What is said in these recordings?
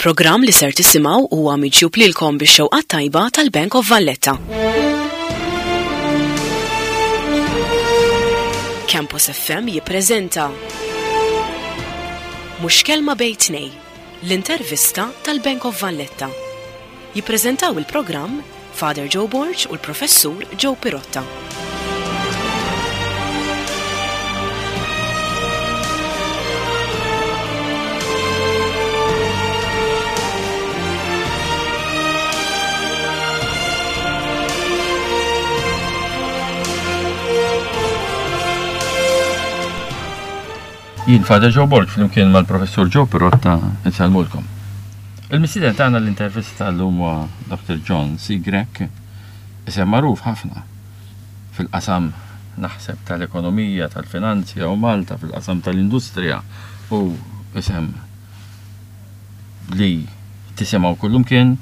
Il-programm li ser tisimgħu huwa miġjub lilkom bix-xewqat tajba tal-Bank of Valletta. Campus FM jippreżenta Mhux Kelma Bejn Tnej, l-intervista tal-Bank of Valletta. Jippreżentaw il-programm Father Joe Borg u l-Professur Joe Pirotta. Jien Father Joe Borg flimkien mal-Professur Joe Pirotta nsellmulkom. Il-mistieden tagħna l-intervista llum huwa Dr. John C. Grech, isem magħruf ħafna fil-qasam naħseb tal-ekonomija, tal-finanzja u Malta fil-qasam tal-industrija u isem li tisimgħu kullumkien,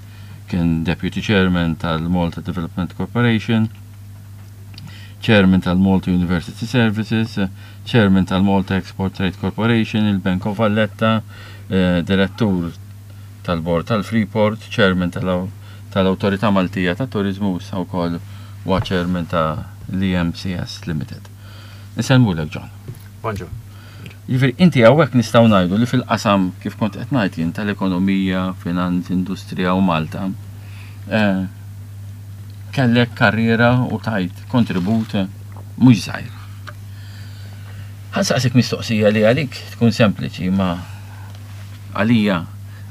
kien Deputy Chairman tal-Malta Development Corporation, Chairman tal-Malta University Services, Chairman tal-Malta Export Trade Corporation, il-Bank of Valletta, Direttur tal-Bord tal-Freeport, Chairman tal-Awtorità Maltija tat-Turiżmu u issa wkoll huwa Chairman ta' l-EMCS Limited. Insellmulek John. Bonġu. Jiġifieri inti hawnhekk nistgħu ngħidu li fil-qasam kif kont qed ngħid jien tal-ekonomija, finanzi, industrija u Malta, eh, kellek karriera u tajt kontribut mhux żgħir. Ħa nsaqsik mistoqsija li għalik tkun sempliċi ma għalija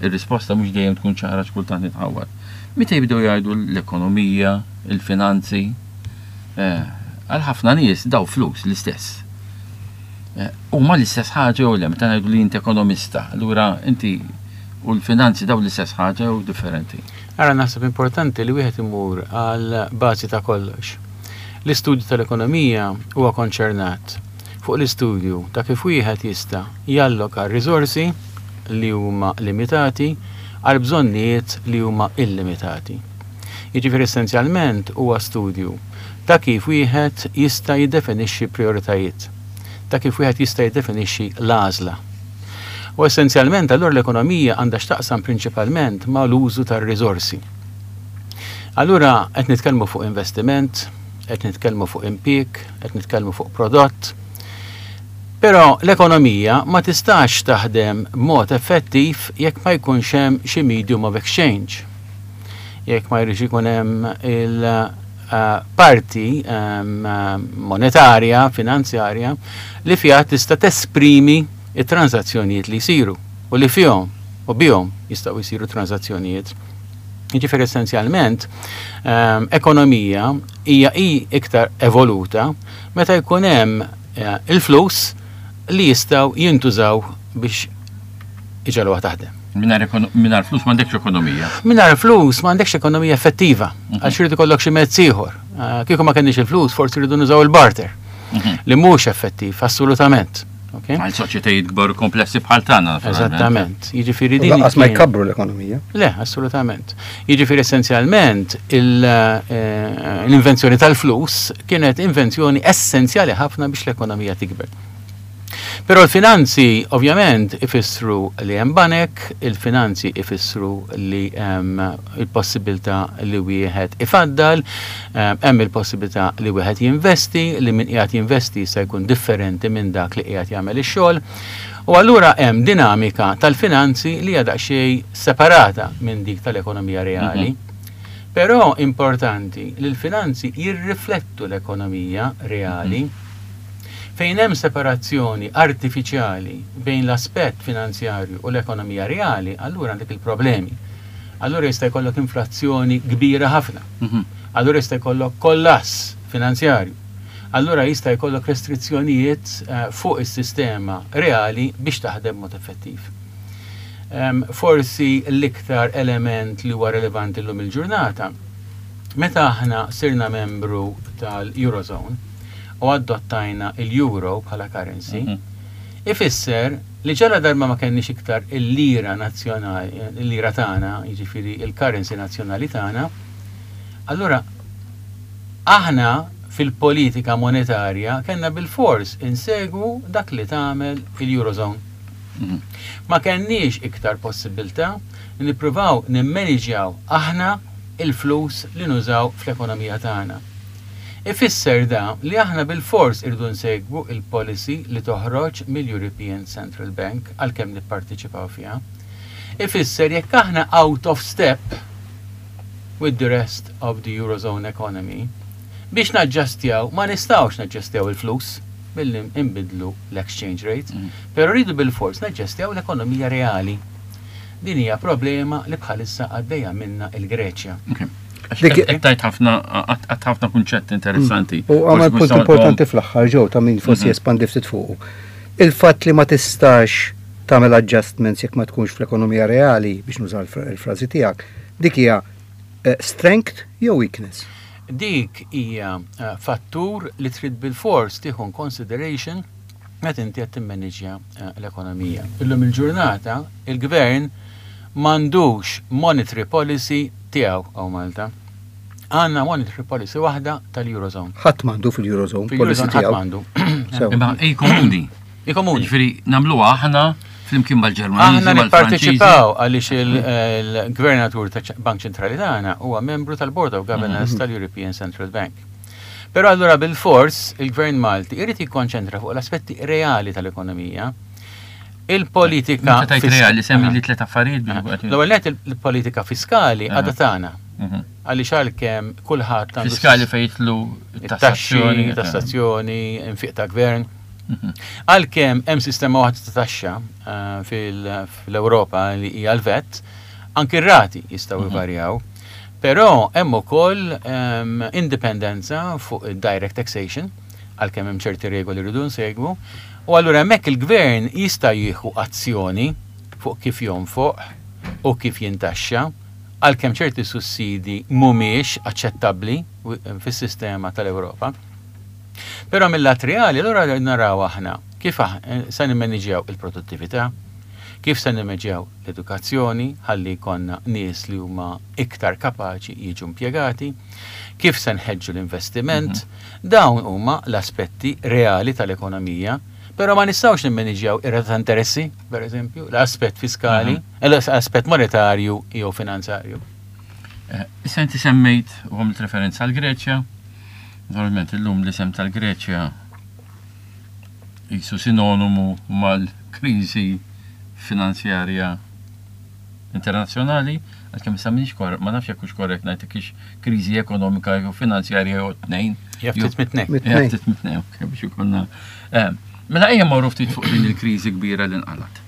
ir-risposta mhux dejjem tkun ċara x'kultant nitħawwad. Meta jibdew jgħidu l-ekonomija, il-finanzi, eh, għal ħafna nies daw flus l-istess. Eh, huma l-istess ħaġa jew le, meta ngħidu li inti ekonomista, allura inti u l-finanzi daw l-istess ħaġa jew differenti? Ara naħseb importanti li wieħed imur għal bażi ta' kollox. L-istudju tal-ekonomija huwa konċernat fuq l-istudju ta' kif wieħed jista' jalloka r-riżorsi li huma limitati għal bżonnijiet li huma illimitati. Jiġifieri essenzjalment huwa studju ta' kif wieħed jista' jiddefinixxi prijoritajiet, ta' kif wieħed jista' jiddefinixxi l-għażla. U essenzjalment allura l-ekonomija għandha x'taqsam prinċipalment ma' l-użu tar-riżorsi. Allura qed nitkellmu fuq investiment, qed nitkellmu fuq impjieg, qed nitkellmu fuq prodott. Però l-ekonomija ma tistax taħdem b'mod effettiv jekk ma jkunx hemm xi medium of exchange. Jekk ma jridx ikun hemm il-parti ehm, monetarja, finanzjarja, li fiha tista' tesprimi it-tranżazzjonijiet li jsiru u li fihom u bihom jistgħu jsiru tranżazzjonijiet. Jiġifieri essenzjalment ehm, ekonomija hija hi iktar evoluta meta jkun hemm eh, il-flus li jistgħu jintużaw biex iġegħluha taħdem. Mingħajr flus m'għandekx ekonomija. Mingħajr flus m'għandekx ekonomija effettiva, mhm. għax irid ikollok xi mezz ieħor. Eh, kieku ma kenniex il-flus, forsi rridu nużaw il-barter. Mhm. Li mhux effettiv, assolutament. Għal soċjetajiet kbar u komplessi bħal tagħna. Eżattament. Jiġifieri din. Lanqas ma jkabbru l-ekonomija. Le, assolutament. Jiġifieri essenzjalment eh, l-invenzjoni tal-flus kienet invenzjoni essenzjali ħafna biex l-ekonomija tikber. Però l-finanzi ovvjament ifissru li hemm banek, il-finanzi ifissru li hemm il-possibilità li wieħed ifaddal, hemm il-possibilità li wieħed jinvesti, li min qiegħed jinvesti jista' jkun differenti minn dak li qiegħed jagħmel ix-xogħol. U allura hemm dinamika tal-finanzi li hija daqsxejn separata minn dik tal-ekonomija reali. Mhm. Però importanti li l-finanzi jirriflettu l-ekonomija reali. Mhm. Fejn hemm separazzjoni artifiċjali bejn l-aspett finanzjarju u l-ekonomija reali, allura għandek il-problemi. Allura jista' jkollok inflazzjoni kbira ħafna. Mhm. Allura jista' jkollok kollass finanzjarju. Allura jista' jkollok restrizzjonijiet eh, fuq is-sistema reali biex taħdem mod effettiv. Forsi l-iktar element li huwa relevanti llum il-ġurnata, meta aħna sirna membru tal-Eurozone u adottajna il-euro bħala currency, mhm. ifisser li ġala darba ma kenniex iktar il-lira nazzjonali, il-lira tagħna, jiġifieri il-currency nazzjonali tagħna, allura aħna fil-politika monetarja kellna bilfors insegwu dak li tagħmel il-Eurozone. Ma kenniex iktar possibilità li nippruvaw nimmaniġjaw aħna il-flus li nużaw fl-ekonomija tagħna. Ifisser da li aħna bilfors irridu nsegwu il-policy li toħroġ mill-European Central Bank għalkemm nipparteċipaw fiha. Ifisser jekk aħna out of step with the rest of the Eurozone economy, biex naġġastjaw, ma nistgħux naġġastjaw il-flus billi nbidlu l-exchange rate, però rridu bilfors naġġastjaw l-ekonomija reali. Din hija problema li bħalissa għaddejja minna il-Greċja. Qed tajt ħafna għad ħafna kunċett interessanti. U għamel punt importanti fl-aħħar ġew ta' min forsi jespandi ftit fuqu. Il-fatt li ma tistax tagħmel adjustments jekk ma tkunx fl-ekonomija reali biex nuża l-frażi tiegħek, dik hija strength jew weakness? Dik hija fattur li trid bilfors tieħu in consideration meta inti qed timmaniġja l-ekonomija. Illum il-ġurnata il-gvern m'għandux monetary policy tiegħu hawn Malta. Għandna monetary policy waħda tal-Eurozone. Ħadd m'għandu fil-Eurozone policy Fil-Eurozone ħadd tiegħu. m'għandu. Sew. Imma hi komuni. Hi komuni. Ġifieri nagħmluha aħna flimkien mal-Ġermaniżi, Aħna mal-Franċiżi. nipparteċipaw għaliex il-Gvernatur ta' Bank Ċentrali tagħna huwa membru tal-Board of Governors tal-European Central Bank. Però allura bil-fors il-Gvern Malti irid jikkonċentra fuq l-aspetti reali tal-ekonomija. Il-politika Meta tajt reali, semmi li tliet affarijiet biex ikun qed- L-ewwel nett il-politika fiskali għadha tagħna. Għaliex għalkemm kulħadd għandu Fiskali fejn jidħlu it-taxxi, tassazzjoni. tassazzjoni, infiq ta' gvern. Għalkemm hemm sistema waħda ta' taxxa fil-Ewropa li hija l-VAT, anki r-rati jistgħu jvarjaw. Però hemm ukoll indipendenza fuq id-direct taxation, għalkemm hemm ċerti regoli rridu nsegwu, u allura hemmhekk il-gvern jista' jieħu azzjoni fuq kif jonfoq u kif jintaxxa, għalkemm ċerti sussidi mhumiex aċċettabbli fis-sistema tal-Ewropa. Però mill-lat reali, allura naraw aħna kif se nimmaniġjaw il-produttività, kif se nimmanġjaw l-edukazzjoni, ħalli jkollna nies li huma iktar kapaċi jiġu impjegati, kif se nħeġġu l-investiment, dawn huma l-aspetti reali tal-ekonomija, però ma nistgħux nimmaniġjaw ir-rata ta' interessi, per eżempju, l-aspett fiskali, l-aspett monetarju jew finanzarju. Issa inti semmejt u għamilt referenza għal Greċja. Naturalment illum l-isem tal-Greċja jisu sinonimu mal-kriżi finanzjarja internazzjonali, għalkemm issa m'iniex ma nafx jekk hux korrett ngħid jekk hix kriżi ekonomika jew finanzjarja jew tnejn. Jaf ftit mit-tnejn. Mit-tnejn. Jaf ftit mit-tnejn, ok, biex ikollna. Mela ejja mmorru ftit fuq din il-kriżi kbira li nqalat.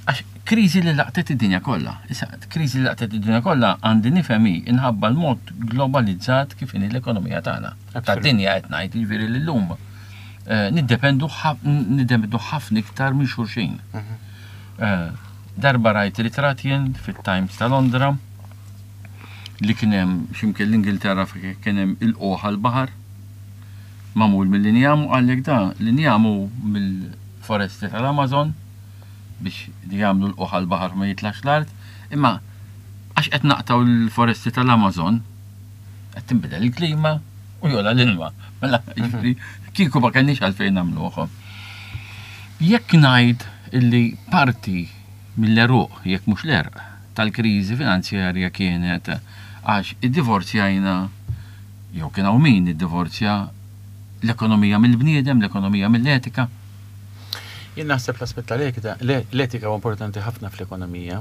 Għax kriżi li laqtet id-dinja kollha. Issa, kriżi li laqtet id-dinja kollha għandi nifhem hi inħabba l-mod globalizzat kif inhi l-ekonomija tagħna. Tad-dinja qed ngħid, jiġifieri li llum niddependu ħafna iktar minn xulxin. Darba rajt ritratt jien fit-Times ta' Londra li kien hemm x'imkien l-Ingilterra fejn kien hemm il-qoħ għall-baħar magħmul mill-injam u qallek da l-injam hu mill-foresti tal-Amazon biex li jagħmlu l-qoħ għall-baħar ma jitlax l-art, imma għax qed naqtaw l-foresti tal-Amazon qed tinbidel il-klima u jola l-ilma. Mela, jiġifieri, kieku ma kenniex għalfejn nagħmluh. Jekk ngħid illi parti mill-eruq, jekk mhux l-erq, tal-kriżi finanzjarja kienet għax iddivorzjajna, jew kien hawn min iddivorzja l-ekonomija mill-bniedem, l-ekonomija mill-etika. Jien naħseb l-aspett tal-etika, l-etika huwa importanti ħafna fl-ekonomija.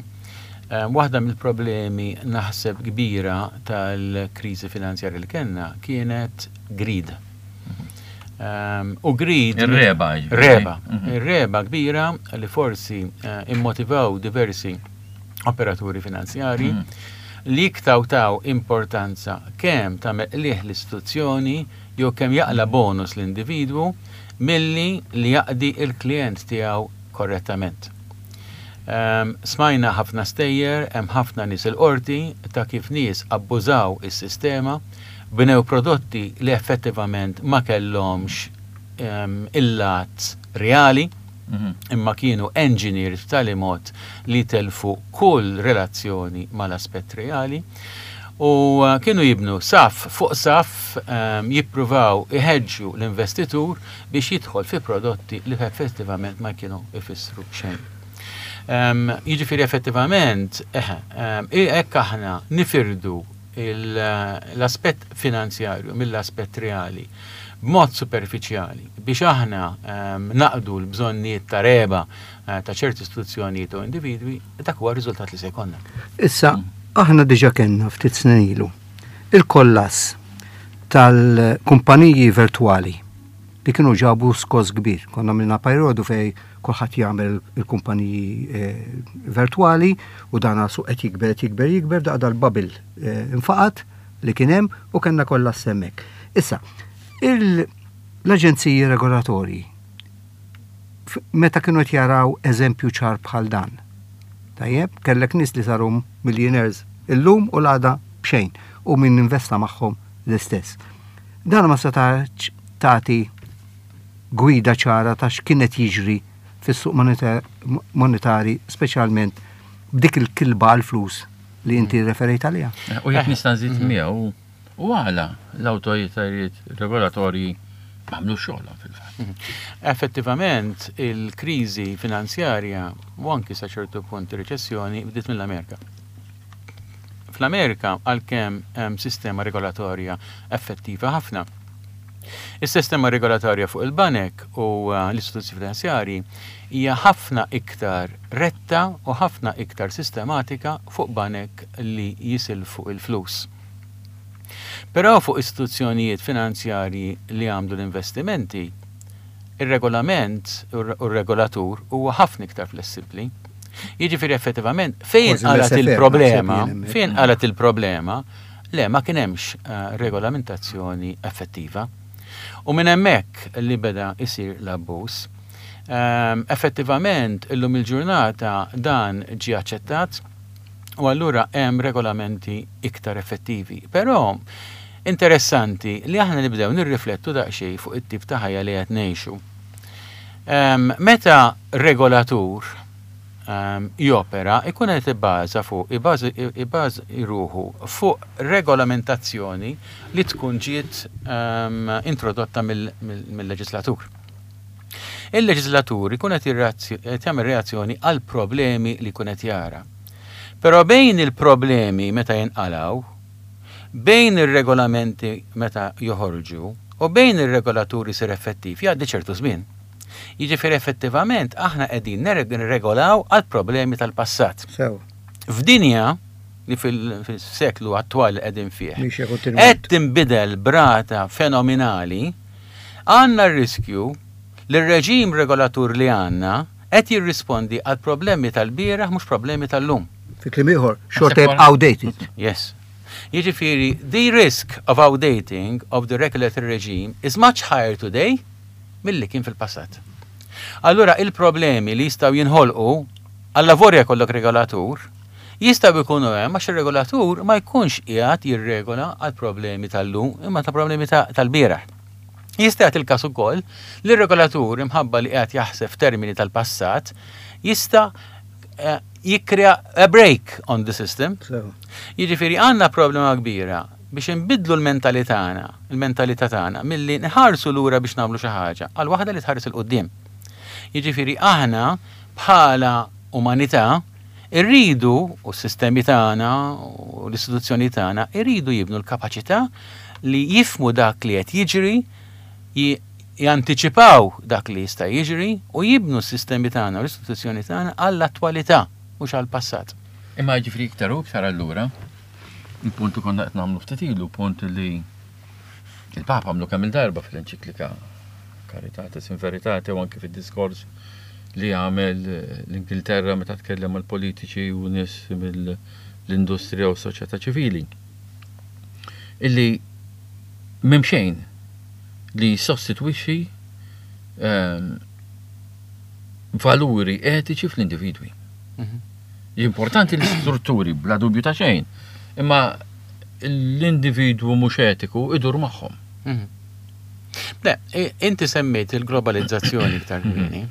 Waħda mill-problemi naħseb kbira tal-kriżi finanzjarja li kellna kienet greed. U greed Ir-reba, jiġifieri. Reba. Ir-reba kbira li forsi immotivaw diversi operaturi finanzjari li iktaw taw importanza kemm ta' meqliħ l-istituzzjoni jew kemm jaqla bonus l-individwu milli li jaqdi il-klient tiegħu korrettament. Smajna ħafna stejjer, hemm ħafna nies il-qorti ta' kif nies abbużaw is-sistema, bnew prodotti li effettivament ma kellhomx il-lat reali, imma kienu engineered b'tali mod li telfu kull relazzjoni mal-aspett reali. U kienu jibnu saff fuq saff jippruvaw iħeġġu l-investitur biex jidħol fi prodotti li effettivament ma kienu jfissru xejn. Jiġifieri effettivament, eħe, hekk aħna nifirdu l-aspett finanzjarju mill-aspett reali b'mod superfiċjali biex aħna naqdu l-bżonnijiet ta' regħba ta' ċerti istituzzjonijiet u individwi, dak huwa r-riżultat li se jkollna. Issa, aħna diġa kellna ftit snin ilu il-kollass tal-kumpaniji virtwali li kienu ġabu skos kbir. Konna minna perjodu fej kulħadd jagħmel il-kumpaniji eh, virtwali u dan suq qed jikber qed jikber jikber daqda l-bubble eh, infaqat li kien hemm u kellna kollass hemmhekk. Issa, l-aġenziji regolatorji meta kienu qed jaraw eżempju ċar bħal dan. Tajjeb, kellek nies li saru millionaires illum u l-għada b'xejn u min investa magħhom l-istess. Dan ma setax tagħti gwida ċara ta' x'kien qed jiġri fis-suq monetari speċjalment b'dik il-kilba għall-flus li inti referejt għaliha. U jekk nista' nżid miegħu, u għala l-awtoritajiet regolatorji m'għamlux xogħolhom fil-fatt. Mhm. Effettivament, il-kriżi finanzjarja u anki sa ċertu punt ir-riċessjoni bdiet mill-Amerika. Fl-Amerika għalkemm hemm sistema regolatorja effettiva ħafna. Is-sistema regolatorja fuq il-banek u eh, l-istituzzjoni finanzjarji hija ħafna iktar retta u ħafna iktar sistematika fuq banek li jisilfu il-flus. Però fuq istituzzjonijiet finanzjarji li jagħmlu l-investimenti, ir-regolament u r-regolatur huwa ħafna iktar flessibbli. Jiġifieri effettivament fejn qalat il-problema, fejn qalat il-problema, le ma kien hemmx eh, regolamentazzjoni effettiva. U minn hemmhekk li beda jsir l-abbuż. Ehm, effettivament illum il-ġurnata dan ġie aċċettat u allura hemm regolamenti iktar effettivi. Però interessanti li aħna nibdew nirriflettu daqsxejn fuq it-tip ta' ħajja li qed ngħixu. Ehm, meta regolatur ehm, jopera ikun qed ibbaża fuq ibbaża ruħu fuq regolamentazzjoni li tkun ġiet ehm, introdotta mill-leġislatur. Il-leġislatur ikun qed jagħmel reazzjoni għal problemi li jkun qed jara. Però bejn il-problemi meta jinqalgħu, bejn ir-regolamenti meta joħorġu u bejn ir-regolatur isir effettiv jgħaddi ċertu żmien. Jiġifieri effettivament aħna qegħdin nirregolaw għal problemi tal-passat. Sew. F'dinja li fil-seklu attwali qegħdin fih. Qed tinbidel b'rata fenominali Għandna r-riskju li r-reġim regolatur li għandna qed jirrispondi għal problemi tal-bieraħ mhux problemi tal-lum. Fi kliem ieħor, xorta jibqa' outdated. Yes. Jiġifieri, the risk of outdating of the regulatory regime is much higher today milli kien fil-passat. Allura il-problemi li jistgħu jinħolqu allavorja jkollok regolatur, jistgħu jkunu hemm għax ir-regolatur ma jkunx qiegħed jirregola għal problemi tal-lum imma ta' problemi tal-bieraħ. Jista' jagħti l-każ ukoll li r-regolatur imħabba li qiegħed jaħseb f'termini tal-passat jista' eh, jikkrea a break on the system. Jiġifieri għandna problema kbira biex inbiddlu l-mentalità tagħna, il-mentalità tagħna milli nħarsu lura biex nagħmlu xi ħaġa għal waħda li tħares 'il quddiem. Jiġifieri aħna bħala umanità Irridu, u s-sistemi tagħna u l-istituzzjoni tagħna, iridu jibnu l-kapaċità li jifhmu dak li qed jiġri, jantiċipaw dak li jista' jiġri u jibnu s-sistemi tagħna u l-istituzzjoni tagħna għall-attwalità, mhux għall-passat. Imma jiġifieri iktar u iktar allura, il-punt li konna qed nagħmlu ftit ilu, punt li il-Papa għamlu kemm il-darba fl-enċiklika Caritatis in Veritate u anki fid-diskors li għamel l-Ingilterra meta tkellem mal-politiċi u nies mill-industrija u s-soċjetà ċivili. Illi m'hemm xejn li jissostitwixxi ehm, valuri etiċi fl-individwi. Mhm. Importanti l-istrutturi bla dubju ta' xejn, imma l-individwu mhux etiku idur magħhom. Mhm. Le, inti semmejt il-globalizzazzjoni iktar mhm. kmieni.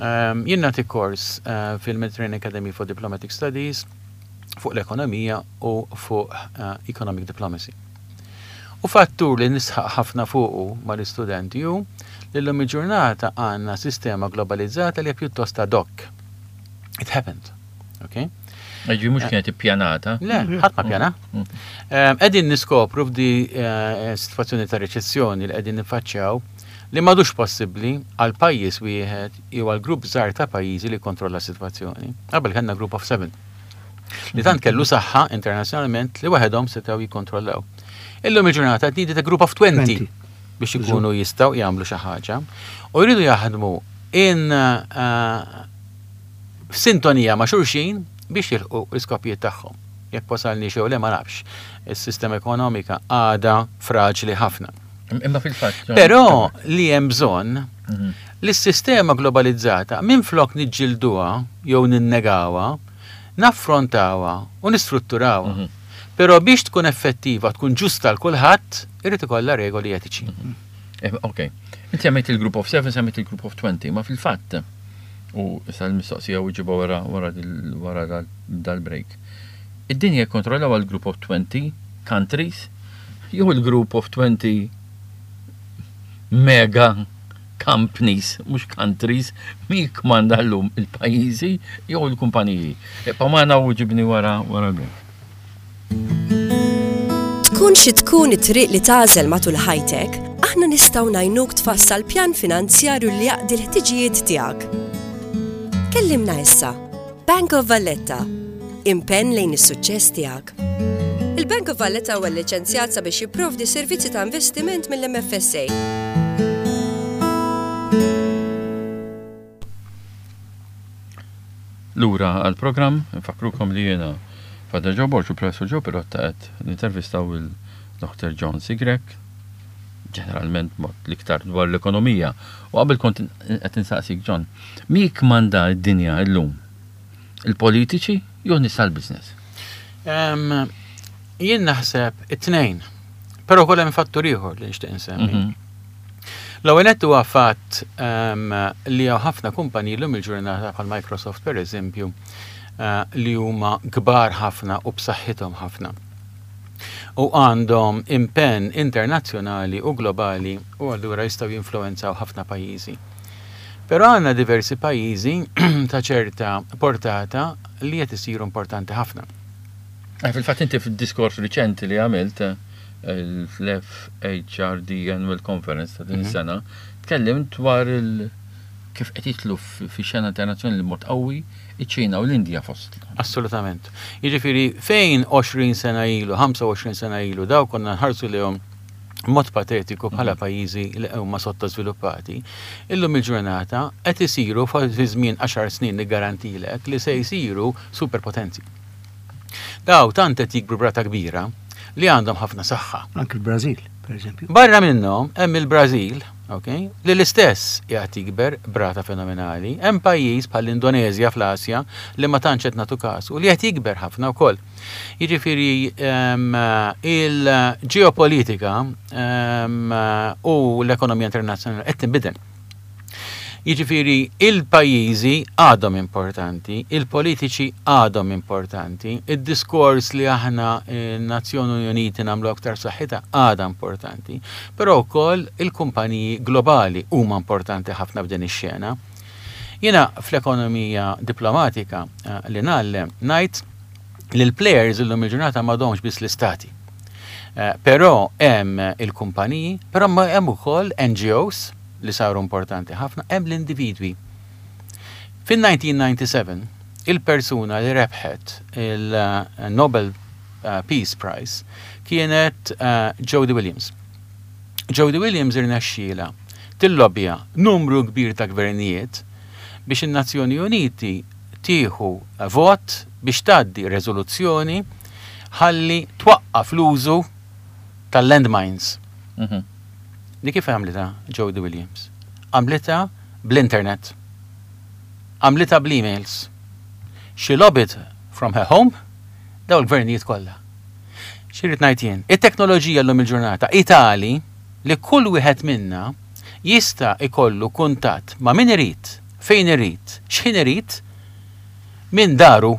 Ehm, jien nagħti kors eh, fil-Mediterranean Academy for Diplomatic Studies. fuq l-ekonomija u fuq economic diplomacy. U fattur li nisħaq ħafna fuqu mal-istudenti hu li llum il-ġurnata għandna sistema globalizzata li hija pjuttost ad hoc. It happened. Okay? Ġi mhux kienet ippjanata. Le, ħadd ma pjana. Qegħdin niskopru f'di eh, sitwazzjoni ta' reċessjoni li qegħdin nifaċċjaw li m'għadux possibbli għal pajjiż wieħed jew għal grupp żgħar ta' pajjiżi li jikkontrolla s-sitwazzjoni. Qabel kellna group of seven. Li tant kellu saħħa internazzjonalment li waħedhom setgħu jikkontrollaw. Illum il-ġurnata qed needed a group of 20 biex ikunu jistgħu jagħmlu xi ħaġa u jridu jaħdmu in eh, f'sintonija ma' xulxin biex jilħqu l-iskopijiet tagħhom. Jekk wasalniex jew le ma nafx. Is-sistema ekonomika għadha fraġli ħafna. Imma fil-fatt. Però li hemm bżonn mhm. li s-sistema globalizzata minflok niġġilduha jew ninnegawha, naffrontawha u nistrutturawha. Mhm. Però biex tkun effettiva, tkun ġusta l kulħadd, irid ikollha regoli etiċi. Mhm. Eh, ok. Inti semmejt il-Group of 7, semmejt il-Group of 20, ma fil-fatt, u issa l-mistoqsija u ġiba wara wara wara dal-break. Id-dinja jikkontrollaw għal Group of 20 countries jew il-Group of 20 mega companies, mhux countries, min jikkmanda llum il-pajjiżi jew il-kumpaniji. Ibqa' magħna u ġibni wara wara l-break. Tkun xi tkun it-triq li tagħżel matul ħajtek, aħna nistgħu ngħinuk tfassal pjan finanzjarju li jaqdi l-ħtiġijiet tiegħek. Kellimna issa. Bank of Valletta. Impenn lejn is-suċċess tiegħek. Il-Bank of Valletta huwa lliċenzjat sabiex jipprovdi servizzi ta' investiment mill-MFSA. Lura għall-programm, infakkrukom li jiena Father Joe Borg u Professor Joe Pirotta qed nintervistaw il-Dr. John C. Grech, ġeneralment mod l-iktar dwar l-ekonomija. U qabel kont qed insaqsik John, min jikkmanda d-dinja llum? Il-politiċi jew nies tal-business? Jien naħseb it-tnejn. Però wkoll hemm fattur ieħor li nixtieq insemmi. Mhm. L-ewwel nett huwa fatt li hawn ħafna kumpaniji llum il-ġurnata bħal Microsoft pereżempju eh, li huma kbar ħafna u b'saħħithom ħafna. U għandhom impenn internazzjonali u globali u allura jistgħu jinfluwenzaw ħafna pajjiżi. Però għandna diversi pajjiżi ta' ċerta portata li qed isiru importanti ħafna. Eh, fil-fatt inti fid-diskors riċenti li għamilt eh, fl-FHRD Annual Conference ta' din mhm. is-sena, tkellimt dwar il kif qed jitlu fi xena internazzjonali mod qawwi iċ-Ċina u l-Indja fost. Assolutament. Jiġifieri fejn 20 sena ilu, 25 sena ilu daw konna nħarsu lehom mod patetiku bħala mhm. pajjiżi li huma sottożviluppati, illum il-ġurnata qed isiru fi żmien 10 snin niggarantilek li se jsiru superpotenzi. Daw tant qed jikbru b'rata kbira li għandhom ħafna saħħa. Anki l-Brażil, per eżempju. Barra minnhom hemm il-Brażil, ok, li l-istess qiegħed jikber b'rata fenomenali. Hemm pajjiż bħall-Indoneżja fl-Asja li ma tantx qed nagħtu kasu li qed jikber ħafna wkoll. Jiġifieri ehm, il-ġeopolitika ehm, u l-ekonomija internazzjonali qed tinbidel. Jiġifieri il-pajjiżi għadhom importanti, il-politiċi għadhom importanti, id-diskors li aħna n-Nazzjoni Uniti nagħmlu aktar saħħitha għadha importanti, però wkoll il-kumpaniji globali huma importanti ħafna f'din ix-xena. Jiena fl-ekonomija diplomatika eh, li ngħallem ngħid li l-players illum il-ġurnata m'għadhomx biss l-istati. Eh, però hemm il-kumpaniji, però hemm ukoll NGOs, li saru importanti ħafna, hemm l-individwi. Fin-1997, il-persuna li rebħet il-Nobel eh, Peace Prize kienet eh, Jody Williams. Jody Williams irnexxiela tillobbja numru kbir ta' gvernijiet biex in-Nazzjoni Uniti tieħu vot biex tgħaddi reżoluzzjoni ħalli twaqqaf l-użu tal-landmines. Mhm. Di kif għamlitha Jodie Williams? Għamlitha bl-internet. Għamlitha bl-emails. She lobbied from her home daw il-gvernijiet kollha. X'irrid ngħid jien? It-teknoloġija llum il-ġurnata hi tali li kull wieħed minna jista' jkollu kuntatt ma' min irid, fejn irid, x'ħin irid, minn daru.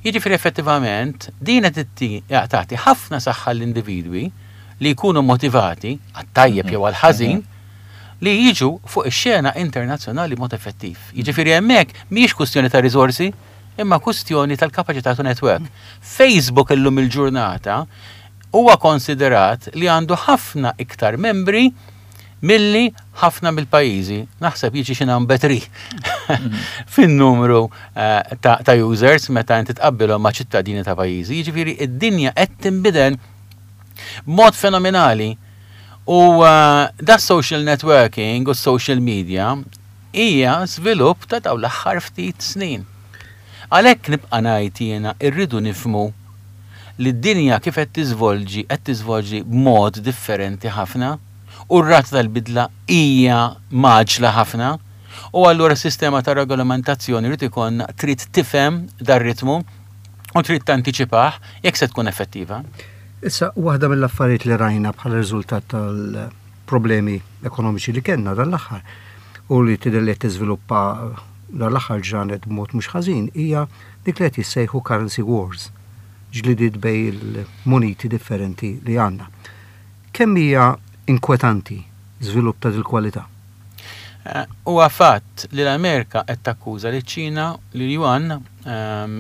Jiġifieri effettivament din qed tagħti ħafna saħħa l-individwi li jkunu motivati għat-tajjeb jew għall-ħażin li jiġu fuq ix-xena internazzjonali b'mod effettiv. Jiġifieri hemmhekk mhijiex kwistjoni ta' riżorsi, imma kwistjoni tal-kapaċità to network. Facebook illum il-ġurnata huwa konsiderat li għandu ħafna iktar membri milli ħafna mill-pajjiżi. Naħseb jiġi xi number 3 fin-numru eh, ta' users meta inti tqabbilhom ma' ċittadini ta' pajjiżi. Jiġifieri id-dinja qed tinbidel b'mod fenomenali. U eh, da social networking u social media hija żvilupp ta' dawn l-aħħar ftit snin. Għalhekk nibqa' ngħid jiena rridu nifhmu li d-dinja kif qed tiżvolġi qed tiżvolġi b'mod differenti ħafna u r-rata tal-bidla hija mgħaġġla ħafna u allura s-sistema ta' regolamentazzjoni jrid ikollna trid tifhem dar-ritmu u trid tantiċipah jekk se tkun effettiva. Issa, waħda mill-affarijiet li rajna bħala riżultat tal-problemi ekonomiċi li kellna dan l-aħħar u li tidher li qed tiżviluppa dan l-aħħar ġranet b'mod mhux ħażin hija dik li qed jissejħu currency wars, ġlidiet bejn il-muniti differenti li għandna. Kemm hija inkwetanti żvilupp ta' dil-kwalità? Huwa fatt li l-Amerika qed takkuża liċ-Ċina li l-yuan,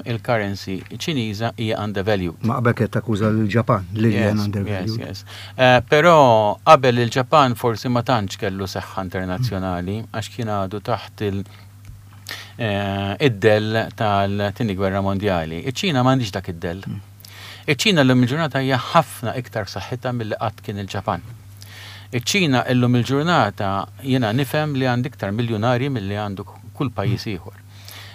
il-currency Ċiniża, hija undervalued. Ma qabel kienet takkuża lill-Ġapan li l-yen undervalued. Yes, yes. Però qabel il-Ġapan forsi ma tantx kellu saħħa internazzjonali għax kien għadu taħt id-dell tal-Tieni Gwerra Mondjali. Iċ-Ċina m'għandhiex dak id-dell. Iċ-Ċina llum il-ġurnata hija ħafna iktar b'saħħitha milli qatt kien il-Ġapan. Iċ-Ċina illum il-ġurnata jiena nifhem li għandha iktar miljunarji milli għandu kull pajjiż ieħor.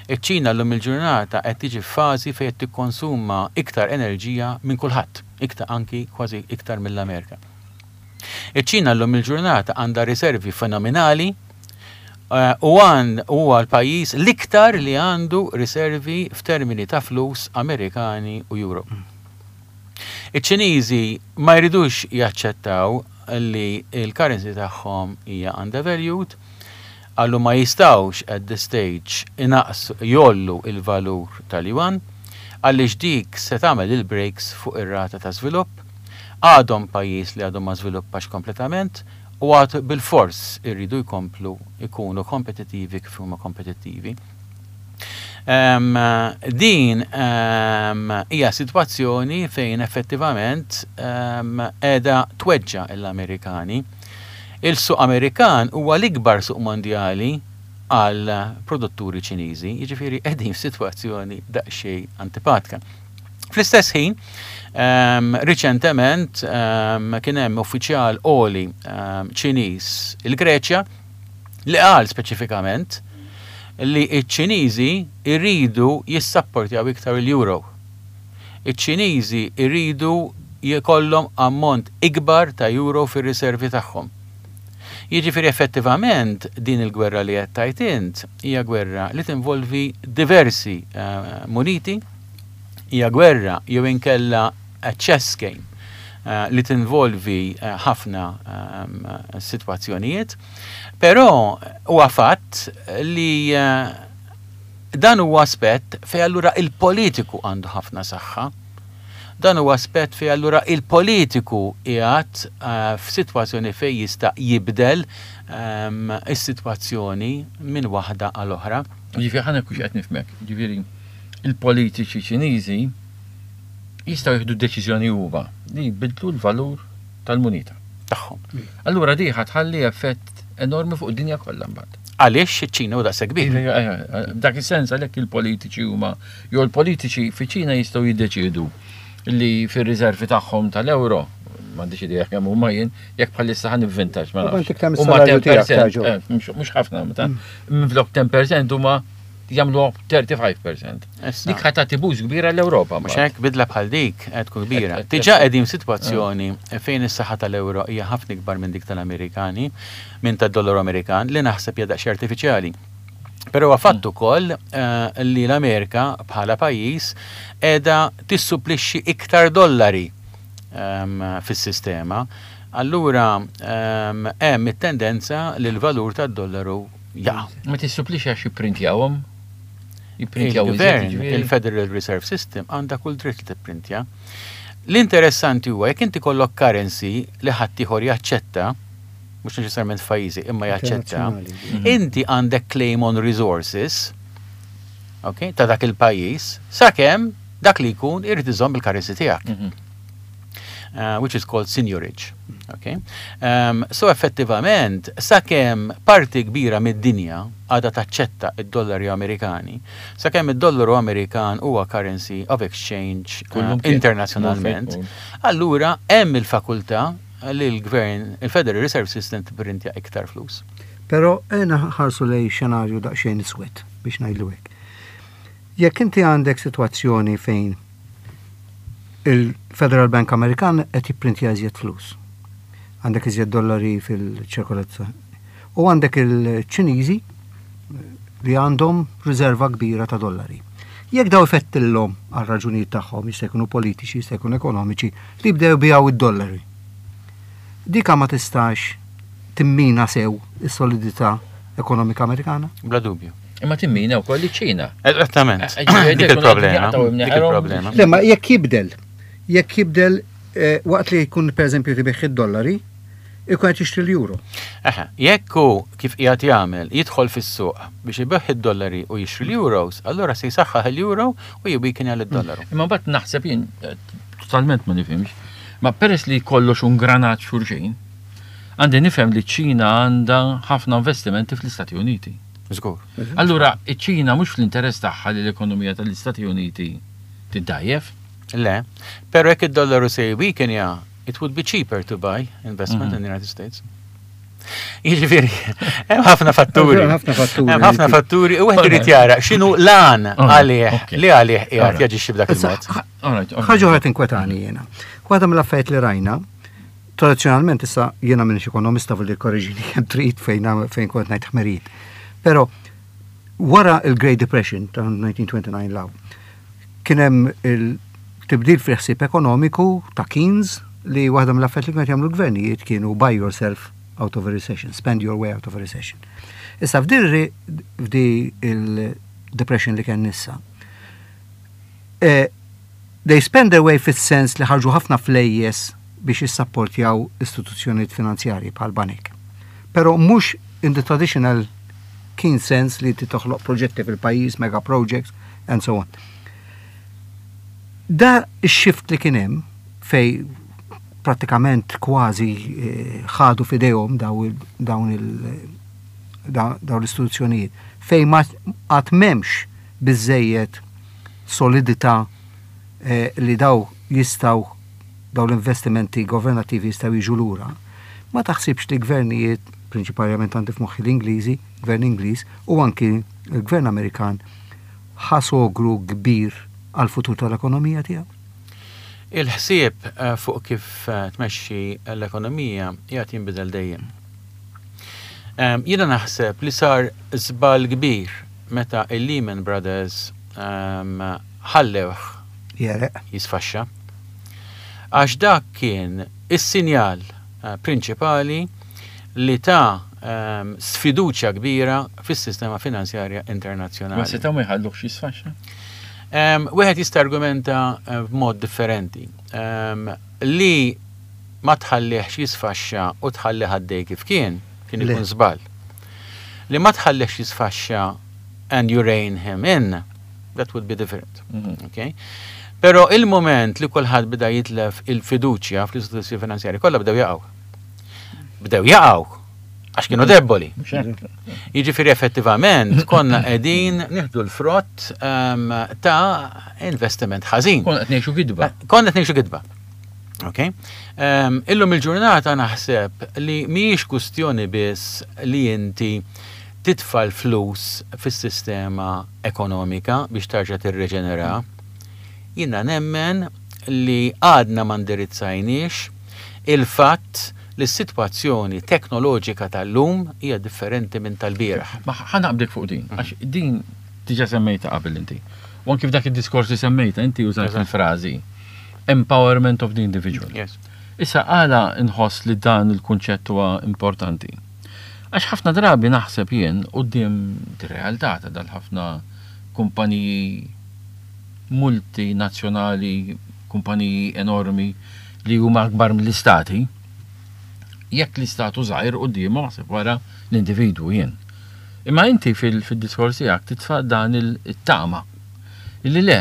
Iċ-Ċina llum il-ġurnata qed tiġi f'fażi fejn qed tikkonsuma iktar enerġija minn kulħadd, iktar anki kważi iktar mill-Amerika. Iċ-Ċina llum il-ġurnata għandha riservi fenomenali u huwa l-pajjiż l-iktar li għandu riservi f'termini ta' flus Amerikani u Euro. Iċ-Ċiniżi ma jridux jaċċettaw li l-currency tagħhom hija undervalued, qalu ma jistgħux at this stage inaqqsu jgħollu l-valur tal-yuan għaliex dik se tagħmel il-brakes fuq ir-rata ta' żvilupp. Għadhom pajjiż li għadu ma żviluppax kompletament u għad bilfors iridu jkomplu jkunu kompetittivi kif huma kompetittivi. Din hija sitwazzjoni fejn effettivament qiegħda tweġġa' l-Amerikani. Il-suq Amerikan huwa l-ikbar suq mondjali għal produtturi Ċiniżi, jiġifieri qegħdin f'sitwazzjoni daqsxejn antipatika. Fl-istess ħin, riċentement kien hemm uffiċjal għoli Ċiniż il-Greċja li qal speċifikament li ċ-Ċiniżi jridu jissapportjaw iktar il-euro. Iċ-Ċiniżi jridu jkollhom ammont ikbar ta' euro fir-riservi tagħhom. Jiġifieri effettivament din il-gwerra li qed tgħid int hija gwerra li tinvolvi diversi muniti, hija gwerra jew inkella a chess game li tinvolvi ħafna sitwazzjonijiet. Però huwa fatt li dan huwa aspett fejn allura il-politiku għandu ħafna saħħa. Dan huwa aspett fejn allura il-politiku qiegħed f'sitwazzjoni fejn jista' jibdel is-sitwazzjoni minn waħda għal oħra. Ġifieri ħa nkun qed nifhmek, ġifieri il-politiċi Ċiniżi jistgħu jieħdu deċiżjoni huma li jbiddlu l-valur tal-munita. Tagħhom. Allura di ħa tħalli effett enormi fuq id-dinja kollha mbagħad. Għaliex iċ-Ċina hu daqshekk kbir? Dak is-sens għalhekk il-politiċi huma jew il-politiċi fiċ-Ċina jistgħu jiddeċiedu li fir-riservi tagħhom tal-euro m'għandix idea kemm huma jien, jekk bħalissa ħa nivvintax ma nafx. Huma 10%, eh, mhux ħafna, minflok 10% huma jagħmlu 35%. Dik ħa tagħti boost kbira l-Ewropa. Mhux hekk bidla bħal dik qed tkun kbira. Diġà qegħdin f'sitwazzjoni fejn is-saħħa tal-ewro hija ħafna ikbar minn dik tal-Amerikani, minn tad-dollaru Amerikan, li naħseb hija daqsxejn artifiċjali. Però huwa fatt ukoll eh, li l-Amerika bħala pajjiż qiegħda tissupplixxi iktar dollari ehm, fis-sistema. Allura ehm, hemm it-tendenza li l-valur tad-dollaru jaqa'. Ma tissupplixxi għax jipprintjawhom? Jipprintjaw iżjed, Il-gvern, jiġifieri? il-Federal Reserve System għandha kull dritt li tipprintja. L-interessanti huwa jekk inti kollok currency li ħaddieħor jaċċetta, mhux neċessarjament f'pajjiżi imma jaċċetta, Internazzjonali. inti għandek claim on resources, okay, ta' dak il-pajjiż, sakemm dak li jkun irid iżomm il-currency tiegħek. Which is called seigniorage. Okay? So effettivament, sakemm parti kbira mid-dinja għadha taċċetta id-dollari Amerikani, sakemm id-dollaru Amerikan huwa currency of exchange Kullum kien. internazzjonalment, Mhux allura hemm il-fakultà li l-gvern, il-Federal Reserve System tipprintja iktar flus. Però ena ħarsu lej xenarju daqsxejn iswed biex ngħidlu hekk. Jekk inti għandek sitwazzjoni fejn il-Federal Bank Amerikan qed jipprintja iżjed flus. Għandek iżjed dollari fil-ċirkolazzjoni. U għandek il-Ċiniżi li għandhom riserva kbira ta' dollari. Jekk daw ifettillhom għal raġunijiet tagħhom, jista' jkunu politiċi, jista' jkunu ekonomiċi, li jibdew bijaw id-dollari. Dika ma tistax timmina sew is-solidità ekonomika Amerikana? Bla dubju. Imma timmina wkoll iċ-Ċina. Eżattament. Ġifieri Dik jkunu il-problema. jaqtgħu Dik imneħħerhom. il-problema. Le, ma jekk jibdel waqt li jkun per eżempju tibih id-dollari, ikun qed jixtri l-euro. Eħe, jekk hu kif qiegħed jagħmel jidħol fis-suq biex ibigħ id-dollari u jixtri l-euros, allura se jsaħħaħ il-euro u jibbikinja lid-dollaru. Imma mbagħad naħseb jien totalment ma nifhimx, ma peress li kollox un granat xulxin, għandi nifhem li ċ-Ċina għandha ħafna investimenti fl-Istati Uniti. Żgur. Allura, iċ-Ċina mhux fl-interess tagħha li l-ekonomija tal-Istati Uniti tiddajjef. Le, però jekk id-dollaru se jweakenja, it would be cheaper to buy investment in the United States. Jiġifieri, hemm ħafna fatturi. Hemm ħafna fatturi. Hemm ħafna fatturi u wieħed irid jara x'inhu lan għalih li għalih qiegħed jaġixxi b'dak il-mod. All right, all right. Ħaġa oħra tinkwetani jiena. Waħda mill-affarijiet li rajna, tradizzjonalment issa jiena m'iniex ekonomista fil korriġini kemm trid fejn kont ngħid ħmerijiet. Però wara il-Great Depression ta' 1929 law, kien hemm il-tibdil fil-ħsieb ekonomiku ta' Keynes li waħda mill-affarijiet li kienet jagħmlu l-gvernijiet kienu buy yourself out of a recession, spend your way out of a recession. Issa f'di il-depression li kien issa, they spend their way fis-sens li ħarġu ħafna flejjes biex jissapportjaw istituzzjonijiet finanzjarji bħal banek. Però mhux in the traditional Keynes sense li ti toħloq proġetti fil-pajjiż, mega projects, and so on. Da x-shift li kien hemm fej pratikament kważi ħadu fidejhom daw l-istituzzjonijiet fej ma għad m'hemmx biżejjed solidità li daw jistgħu daw l-investimenti governattivi jistgħu jiġu lura. Ma taħsibx li gvernijiet, prinċipalment għandi f'moħħi l-Ingliżi, gvern Ingliż u anki l-gvern Amerikan ħasogru kbir għal-futur tal-ekonomija tiegħu? Il-ħsieb fuq kif tmexxi l-ekonomija qiegħed jinbidel dejjem. Jiena naħseb li sar żball kbir meta il-Lehman Brothers ħallewh Jereq. jisfaxxa. Għax dak kien is-sinjal prinċipali li ta' sfiduċja kbira fis-sistema finanzjarja internazzjonali. Ma setgħu ma jħalluhx jisfaxxa? Wieħed jista' argumenta b'mod differenti. Li ma tħallihx jisfaxxa u tħallih għaddej kif kien, kien Le. ikun żball. Li ma tħallihx jisfaxxa and you rein him in, that would be different. Okay? Però il-moment li kulħadd beda jitlef il-fiduċja fl-istituzzjoni finanzjarji kollha bdew jaqgħu. Bdew jaqgħu għax kienu deboli. Mhux hekk. Jiġifieri effettivament konna qegħdin nieħdu l-frott ta' investiment ħażin. Konna qed ngħixu gidba. Konna qed ngħixu gidba. Ok? Illum il-ġurnata naħseb li mhijiex kwistjoni biss li inti titfa' l-flus fis-sistema ekonomika biex tarġa' tirreġenera. Jiena nemmen li għadna ma ndirizzajniex il-fatt li s-sitwazzjoni teknoloġika tal-lum hija differenti minn tal-bieraħ. Ma ħa naqbdek fuq din, għax din diġà semmejta qabel inti. U anki f'dak id-diskors li semmejta inti użajt il-frażi empowerment of the individual. Issa għala nħoss li dan il-kunċett huwa importanti. Għax ħafna drabi naħseb jien quddiem realtà ta' dal-ħafna kumpaniji multinazzjonali, kumpaniji enormi li huma akbar mill-istati, jekk l-istat hu żgħir quddiemhom aħseb wara l-individwu jien. Imma inti fil-diskors tiegħek titfa' dan it-tama illi le,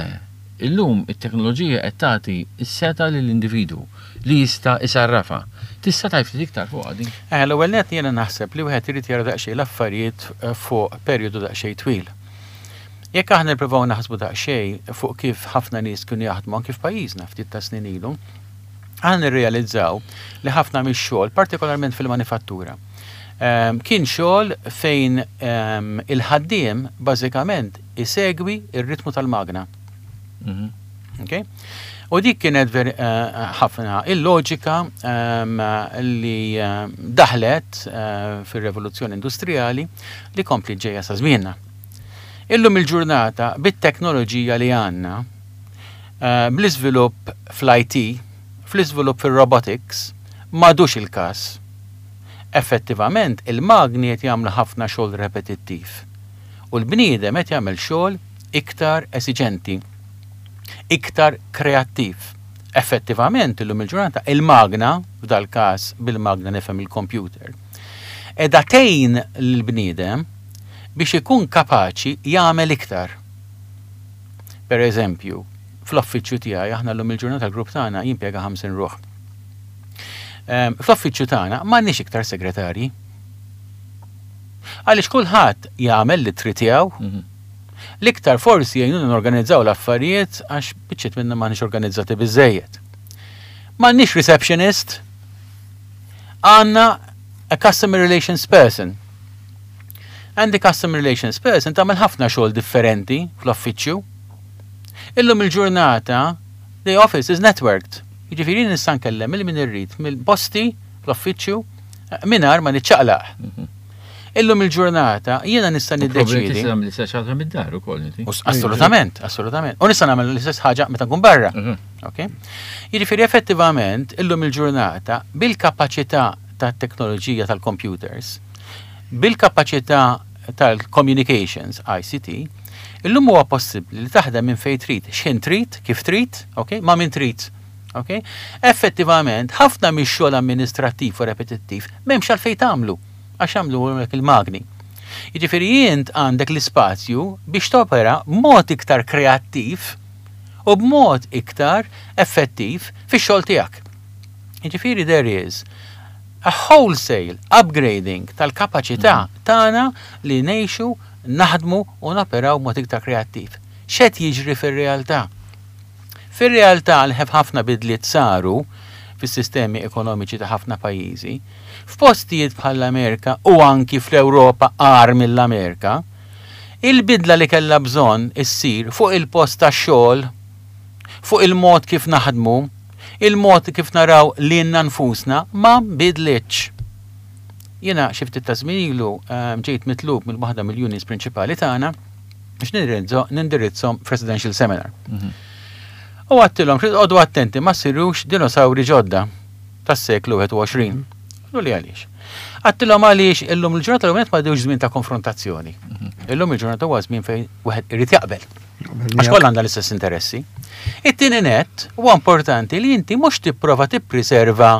illum it-teknoloġija qed tagħti s-setgħa lill-individwu li jista' isarrafha. Tista' tgħid ftit iktar fuqha din? Eh, l-ewwel nett jiena naħseb li wieħed irid jara daqsxejn l-affarijiet fuq perjodu daqsxejn twil. Jekk aħna nippruvaw naħsbu daqsxejn fuq kif ħafna nies kienu jaħdmu anki f'pajjiżna ftit ta' snin ilu, aħna nirrealizzaw li ħafna mix-xogħol, partikolarment fil-manifattura, kien xogħol fejn il-ħaddiem bażikament isegwi r-ritmu tal-magna. Okay? U dik kienet ħafna il-loġika li daħlet fir-revoluzzjoni industrijali li kompli ġejja sa żmienna. Illum il-ġurnata bit-teknoloġija li għandna, bl-iżvilupp fl-IT, fl-iżvilupp fir-robotics, m'għadux il-każ. Effettivament il-magni qed jagħmlu ħafna xogħol repetittiv u l-bniedem qed jagħmel xogħol iktar esiġenti, iktar kreattiv. Effettivament illum il-ġurnata il-magna, f'dal-każ bil-magna nifhem il-computer, qiegħda tgħin lill-bniedem biex ikun kapaċi jagħmel iktar. Per eżempju, fl-uffiċċju tiegħi aħna llum il-ġurnata l-grupp tagħna jimpjega 50 ruħ. Ehm, fl-uffiċċju tagħna m'għandniex iktar segretarji. Għaliex kulħadd jagħmel l-ittri tiegħu. L-iktar forsi jgħinuna norganizzaw l-affarijiet għax biċċiet minna m'aħniex organizzati biżejjed. M'għandniex receptionist, għandna a customer relations person. And the customer relations person tagħmel ħafna xogħol differenti fl-uffiċċju. Illum il-ġurnata the office is networked. Jiġifieri nista' nkellem il min irrid mill-posti fl-uffiċċju eh, mingħajr ma niċċaqlaq. Mhm. Illum il-ġurnata jiena nista' niddeċiedi. Tista' tagħmel l-istess ħaġa mid-dar ukoll inti. Assolutament, assolutament. U nista' nagħmel l-istess ħaġa meta nkun barra. Mhm. Okay? Jiġifieri effettivament illum il-ġurnata bil-kapaċità tat-teknoloġija tal-computers, bil-kapaċità tal-communications, ICT, illum huwa possibbli li taħdem minn fejn trid, x'ħin trid, kif trid, okay, ma' min trid. Okay? Effettivament, ħafna mix-xogħol amministrattiv u repetittiv m'hemmx għalfejn tagħmlu għax jagħmluhulek il-magni. Jiġifieri int għandek l-ispazju biex topera b'mod iktar kreattiv u b'mod iktar effettiv fix-xogħol tiegħek. Jiġifieri there is a wholesale upgrading tal-kapaċità mhm. tagħna li ngħixu, naħdmu u noperaw b'mod iktar kreattiv. X'qed jiġri fir-realtà? Fir-realtà li ħafna bidliet saru fis-sistemi ekonomiċi ta' ħafna pajjiżi, f'postijiet bħall-Amerika u anki fl-Ewropa agħar mill-Amerika, il-bidla li kellha bżonn issir fuq il-post tax-xogħol, fuq il-mod kif naħdmu, il-mod kif naraw lilna nfusna ma nbidlitx. Jiena xi ftit ta' żmien ilu ġejt mitlub minn waħda mill-unions prinċipali tagħna biex nindirizzhom f'residential seminar. Mhm. U għattilhom trid qogħdu attenti ma ssirux dinosawri ġodda tas-seklu 21. Għallu li għaliex. Għattilhom għaliex illum il-ġurnata l ma dewx żmien ta' konfrontazzjoni. Mhm. Illum il-ġurnata huwa żmien fejn wieħed irid jaqbel. Għax kollha għandha l-istess interessi. It-tieni net huwa importanti li inti mhux tipprova tippriserva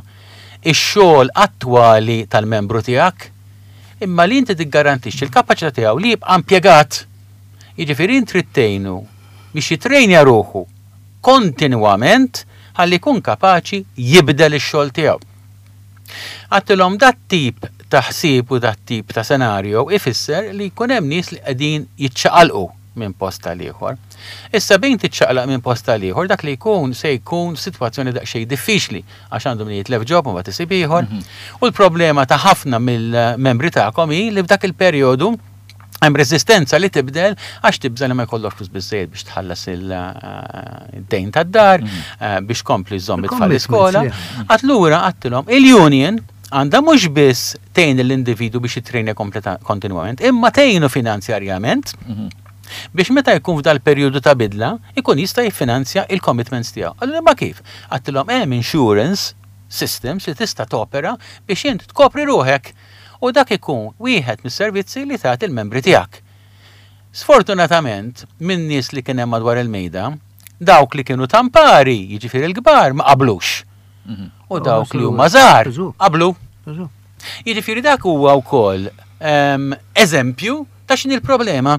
ix-xogħol attwali tal-membru tiegħek, imma li inti tiggarantixxi l-kapaċità tiegħu li jibqa' impjegat. Jiġifieri int trid tgħinu biex jitrejnja ruħu kontinwament ħalli jkun kapaċi jibdel ix-xogħol tiegħu. Għadtilhom dat-tip ta' ħsieb u dat-tip ta' senarjo ifisser li jkun hemm nies li qegħdin jiċċaqalqu minn post għal ieħor. Issa bejn tiċċaqlaq minn post għal ieħor dak li jkun se jkun sitwazzjoni daqsxejn diffiċli għax għandu min jitlef ġob u mbagħad isib ieħor. Mhm. U l-problema ta' ħafna mill-membri tagħkom hi li f'dak il-perjodu hemm reżistenza li tibdel għax tibża li ma jkollokx flus biżejjed biex tħallas il-dejn tad-dar, mhm. eh, biex kompli żomm it-tfal l-iskola. Allura għattilhom il-union għandha mhux biss tgħin l-individu biex jitrejna kontinwament, imma tgħinu finanzjarjament mhm. biex meta jkun f'dal perjodu ta' bidla, ikun jista' jiffinanzja il-commitments tiegħu. Allura ma kif? Għattilhom hemm insurance systems li tista' topera biex int tkopri ruħek u dak ikun wieħed mis-servizzi li tagħti l-membri tiegħek. Sfortunatament, min-nies li kien hemm madwar il-mejda, dawk li kienu tampari, jiġifieri l-kbar, ma qablux. U dawk li huma żgħar qablu. Jiġifieri dak huwa wkoll eżempju ta' x'inhi l-problema.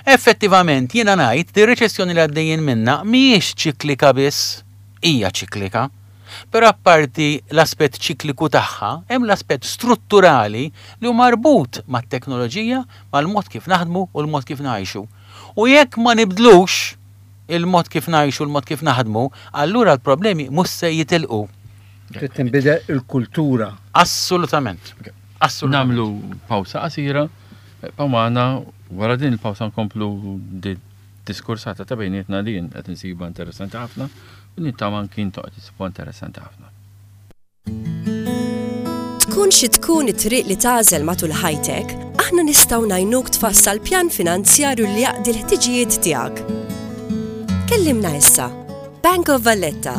Effettivament jiena ngħid li r-reċessjoni li għaddejjin minnha mhijiex ċiklika biss, hija ċiklika. Però apparti l-aspett ċikliku tagħha, hemm l-aspett strutturali li hu marbut mat-teknoloġija, mal-mod kif naħdmu u l-mod kif ngħixu. U jekk ma nibdlux il-mod kif ngħixu u l-mod kif naħdmu, allura l-problemi mhux se jitilqu. Trid tinbidel il-kultura. Assolutament. Assolutament. Nagħmlu pawsa qasira, ibqgħu magħna, wara din il-pawsa nkomplu diskursata ta' bejnietna li jien qed insibha interessanti ħafna u nittama anki intom qed issibuha interessanti ħafna. Tkun xi tkun it-triq li tagħżel matul ħajtek, aħna nistgħu ngħinuk tfassal pjan finanzjarju li jaqdi l-ħtiġijiet tiegħek. Kellimna issa. Bank of Valletta.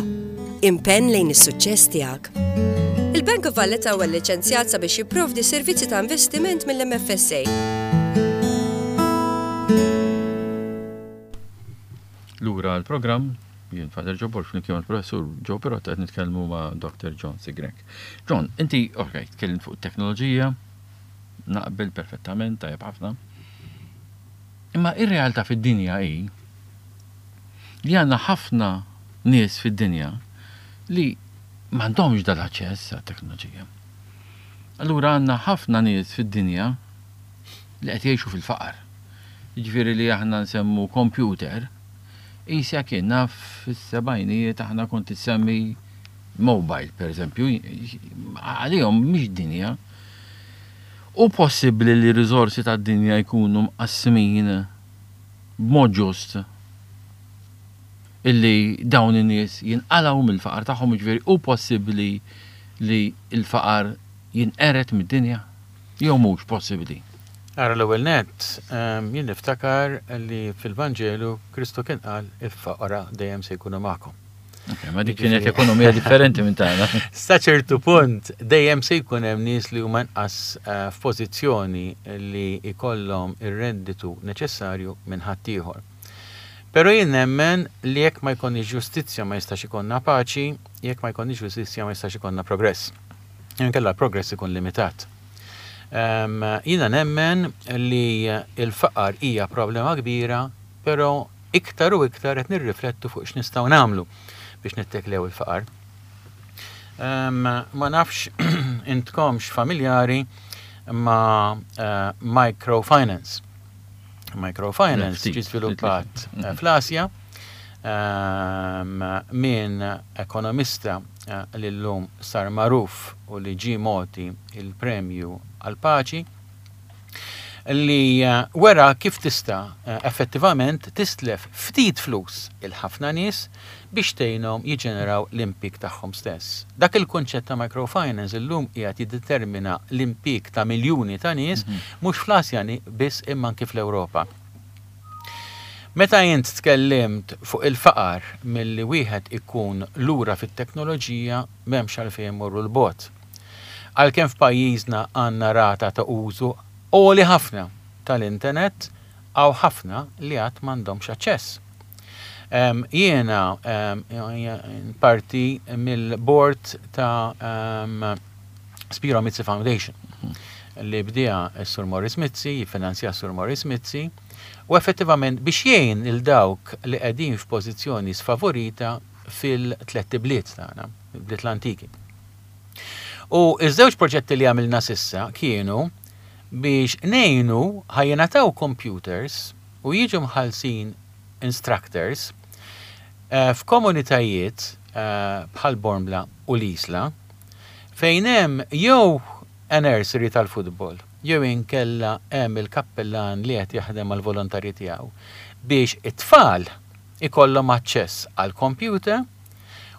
Impenn lejn is-suċċess tiegħek. Il-Bank of Valletta huwa lliċenzjat sabiex jipprovdi servizzi ta' investiment mill-MFSA. Lura għall-programm, jien Father Joe Borg flimkien mal-Professur Joe Pirotta qed nitkellmu ma' Dr. John Sigrek. John, inti, ok, tkellimt fuq it-teknoloġija, naqbel perfettament, tajjeb ħafna. Imma ir-realtà fid-dinja hi li għandna ħafna nies fid-dinja li m'għandhomx dal-aċċess għat-teknoloġija. Allura għandna ħafna nies fid-dinja li qed jgħixu fil-faqar. Jiġifieri li aħna nsemmu computer, qisha kien naf fis-sebgħinijiet aħna kont issemmi mobile pereżempju, għalihom mhix dinja. Hu possibbli li r-riżorsi tad-dinja jkunu mqassmin b'mod ġust illi dawn in-nies jinqalgħu mill-faqar tagħhom, jiġifieri hu possibbli li l-faqar jinqered mid-dinja jew mhux possibbli? Ara l-ewwel nett, jien niftakar li fil-Vanġelu Kristu kien qal il-foqra dejjem se jkunu magħkom. Ma dik kienet ekonomija differenti minn tagħna. Sa ċertu punt dejjem se jkun hemm nies li huma inqas eh, f'pożizzjoni li jkollhom ir-redditu neċessarju minn ħaddieħor. Però jien nemmen li jekk ma jkollniex ġustizzja ma jistax ikollna paċi, jekk ma jkollniex ġustizzja ma jistax ikollna progress. Inkella l-progress ikun limitat. Ehm, jiena nemmen li l-faqar hija problema kbira, però Iktar u iktar qed nirriflettu fuq x'nistgħu nagħmlu biex nitteklew il-faqar. Ma nafx intkomx familjari ma' eh, microfinance. Microfinance ġi żviluppat eh, fl-Asja minn ekonomista eh, li llum sar magħruf u li ġie mogħti il-premju għall-paċi li wera kif tista' effettivament tistlef ftit flus 'il ħafna nies biex tgħinhom jiġġeneraw l-impieg tagħhom stess. Dak il-kunċett ta' microfinance illum qiegħed jiddetermina l-impieg ta' miljuni ta' nies mhux fl-Asja biss imma anki fl-Ewropa. Meta int tkellimt fuq il-faqar milli wieħed ikun lura fit-teknoloġija m'hemmx għalfejn immorru 'l bogħod. Għalkemm f'pajjiżna għandna rata ta' użu għoli ħafna tal-internet, hawn ħafna li għad m'għandhomx aċċess. Jiena parti mill-board ta' Spiro Mizzi Foundation li bdieha s-Sur Maurice Mizzi, jiffinanzjaha s-Sur Maurice Mizzi, u effettivament biex jgħin lil dawk li qegħdin f'pożizzjoni sfavorita fil-tlett ibliet tagħna, il-bliet l-antiki. U ż-żewġ proġetti li għamilna s'issa kienu biex ngħinu ħa jingħataw computers u jiġu mħallsin instructors eh, f'komunitajiet eh, bħal Bormla u l-Isla fejn hemm jew a nursery tal-futbol jew inkella hemm il-kappellan li qed jaħdem mal-volontarji tiegħu biex it-tfal ikollhom aċċess għal computer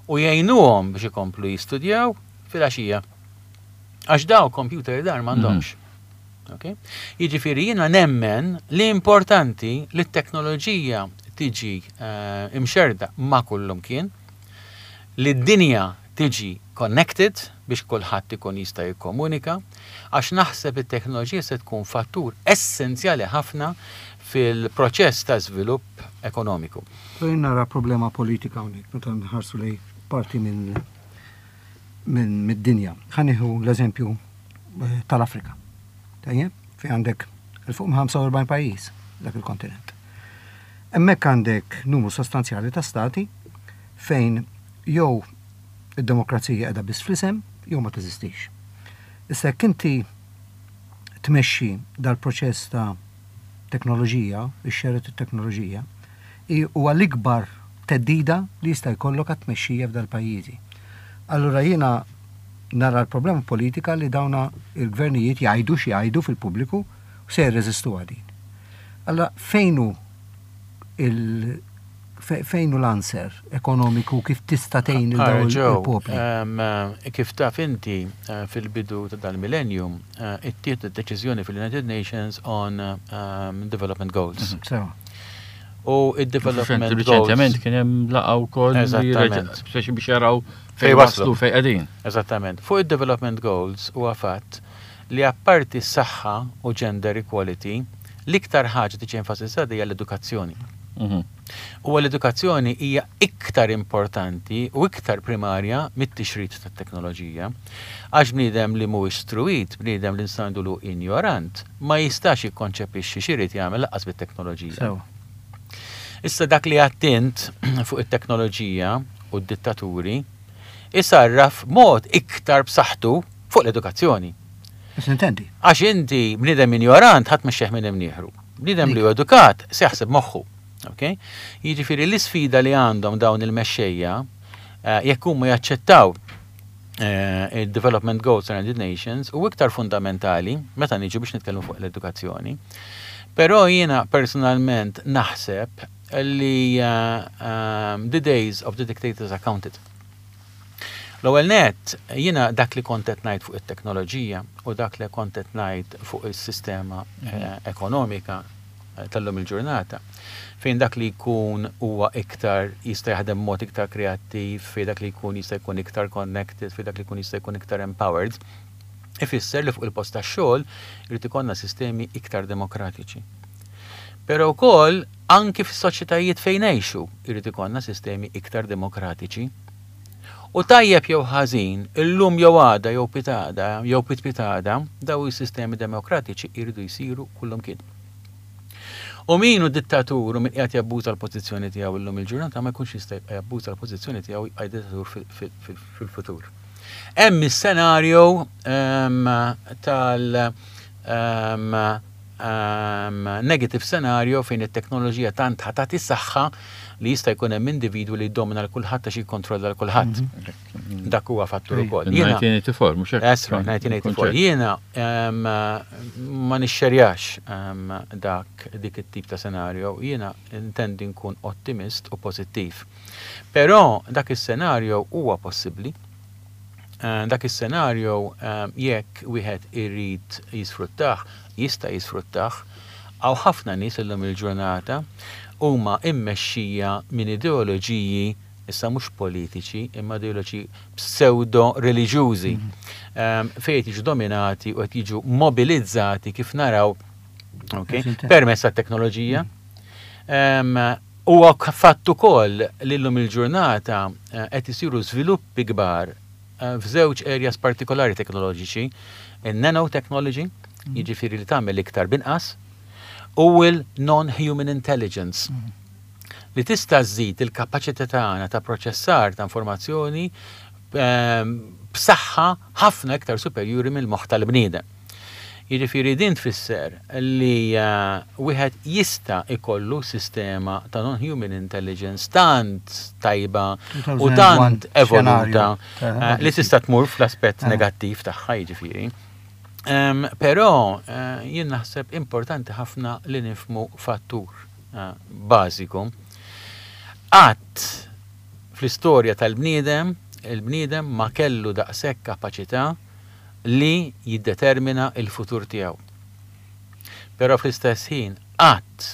u jgħinuhom biex ikomplu jistudjaw filgħaxija. Għax daw computer dar m'għandhomx. Mhm. Okay? Jiġifieri jiena nemmen li importanti li t-teknoloġija tiġi uh, imxerda ma' kullumkien, li d-dinja tiġi connected biex kulħadd ikun jista' jikkomunika, għax naħseb it-teknoloġija se tkun fattur essenzjali ħafna fil-proċess ta' żvilupp ekonomiku. Però jien nara problema politika hawnhekk meta nħarsu lejn parti minn minn mid-dinja. Ħa nieħu l-eżempju eh, tal-Afrika. Tajjeb, fejn għandek 'il fuq minn 45 pajjiż dak il-kontinent. Hemmhekk għandek numru sostanzjali ta' stati fejn jew id-demokrazija qiegħda biss fl-isem jew ma teżistix. Issa jekk inti tmexxi dal-proċess ta' teknoloġija, ixxerred it-teknoloġija, hi huwa l-ikbar theddida li jista' jkollok għat-tmexxija f'dal-pajjiżi. Allura jiena nara l-problema politika li dawna il-gvernijiet jgħidu x'jgħidu fil-pubbliku u se jirreżistuha din. Allura fejn hu il fejn hu l-answer ekonomiku kif tista' tgħin lil dawn il-popli? Kif taf inti, fil-bidu ta' dal-millennium, ittieħdet deċiżjoni fil-United Nations on Development Goals. Sewa. U id-Development Goals. Reċentement kien hemm laqgħa wkoll. Eżattament. Speċi biex jaraw fejn waslu fejn qegħdin. Eżattament. Fuq id-Development Goals huwa fatt li apparti s-saħħa u gender equality, l-iktar ħaġa tiġi enfasizzata hija l-edukazzjoni. Huwa l-edukazzjoni hija iktar importanti u iktar primarja mit-tixrid tat-teknoloġija. Għax bniedem li mhuwiex struwit, bniedem li nistgħu ngħidulu injorant, ma jistax jikkonċepixxi x'irid jagħmel lanqas bit-teknoloġija. Sewa. Issa dak li għedt int fuq it-teknoloġija u d-dittaturi isarraf mod iktar b'saħħtu fuq l-edukazzjoni. X'intendi? Għax inti bniedem injorant ħadd mexxejh minn imnieħru. Bniedem li hu edukat se jaħseb moħħu. Okay? Jiġifieri l-isfida li għandhom dawn il-mexxejja eh, jekk huma jaċċettaw eh, il-Development Goals United Nations u iktar fundamentali meta niġu biex nitkellmu fuq l-edukazzjoni. Però jiena personalment naħseb li uh, the days of the dictators are counted. L-ewwel nett, jiena dak li kont qed ngħid fuq it-teknoloġija u dak li kont qed ngħid fuq is-sistema ekonomika tal-lum il-ġurnata, fejn dak li jkun huwa iktar jista' jaħdem b'mod iktar kreattiv, fejn dak li jkun jista' jkun iktar connected, fejn dak li jkun jista' jkun iktar empowered, ifisser li fuq il-post tax-xogħol irid ikollna sistemi iktar demokratiċi. Però wkoll anki fis-soċjetajiet fejn ngħixu jrid ikollna sistemi iktar demokratiċi. U tajjeb jew ħażin, illum jew għada jew pitgħada jew pitpitgħada, dawn is-sistemi demokratiċi jridu jsiru kullumkien. U min hu dittatur u min qiegħed jabbuża l-pożizzjoni tiegħu illum il-ġurnata ma jkunx jista' jibqa' jabbuża l-pożizzjoni tiegħu jibqa' dittatur fil-futur. Hemm is-senarju ehm, tal ehm, negative scenario fejn it-teknoloġija tant ħa tagħti saħħa li jista' jkun hemm individwu li jiddomina l kulħadd għax jikkontrolla l kulħadd. Mhm. Dak huwa fattur ukoll. 1984, mhux hekk. That's right, 1984. Jiena ma nixxerjax dak dik it-tip ta' scenario, jiena intendi nkun ottimist u pożittiv. Però dak is-scenario huwa possibbli. Dak is-scenario jekk wieħed irid jisfruttah, jista' jisfruttah. Hawn ħafna nies illum il-ġurnata huma mmexxija minn ideoloġiji issa mhux politiċi imma ideoloġiji psewdo-reliġjużi fejn qed jiġu dominati u qed jiġu mobilizzati kif naraw okay, permezz tat-teknoloġija. Huwa fatt ukoll li llum il-ġurnata qed isiru żviluppi kbar f'żewġ areas partikolari teknoloġiċi, in-nanotechnology, jiġifieri li tagħmel iktar b'inqas, u l-non-human intelligence, li tista' żżid il-kapaċità tagħna ta' proċessar ta' informazzjoni b'saħħa ħafna iktar superjuri mill-moħħ tal-bniedem. Jiġifieri din tfisser li wieħed jista' jkollu sistema ta' non-human intelligence tant tajba u tant evoluta li tista' tmur fl-aspett negattiv tagħha jiġifieri. Però jien naħseb importanti ħafna li nifhmu fattur bażiku. Qatt fl-istorja tal-bniedem, il-bniedem ma kellu daqshekk kapaċità li jiddetermina l-futur tiegħu. Però fl-istess ħin qatt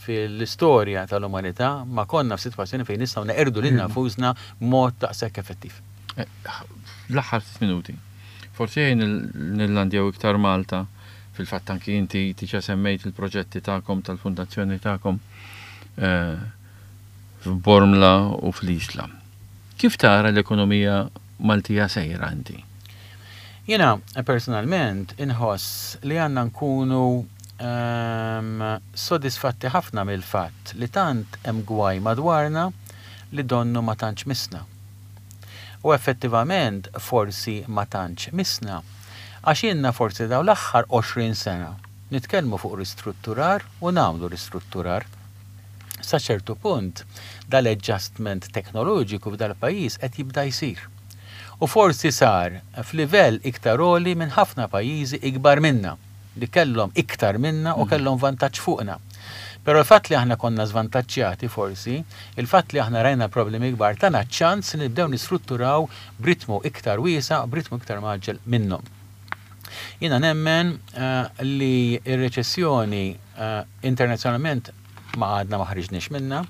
fl-istorja tal-umanità ma konna f'sitwazzjoni fejn nistgħu neqirdu lilna nfusna b'mod daqshekk effettiv. L-aħħar ftit minuti. Forsi ejja nillandjaw iktar Malta. Fil-fatt anki inti diġà semmejt il-proġetti tagħkom tal-fundazzjoni tagħkom eh, f'Bormla u fl-Isla. Kif tara l-ekonomija Maltija sejra inti? Jiena personalment inħoss li għandna nkunu ehm, sodisfatti ħafna mill-fatt li tant hemm gwaj madwarna li donnu ma tantx missna. U effettivament forsi ma tantx missna għax ilna forsi dawn l-aħħar 20 sena nitkellmu fuq ristrutturar u nagħmlu ristrutturar. Sa ċertu punt dal-adjustment teknoloġiku f'dal-pajjiż qed jibda jsir. U forsi sar f'livell iktar għoli minn ħafna pajjiżi ikbar minna, li kellhom iktar minna u kellhom vantaġġ fuqna. Però l-fatt li aħna konna żvantaġġjati forsi, il-fatt li aħna rajna problemi kbar tana ċ-ċans li nibdew nistrutturaw b'ritmu iktar wiesa', b'ritmu iktar mgħaġġel minnhom. Jiena nemmen li r-reċessjoni internazzjonalment ma għadna ma ħriġniex minnha.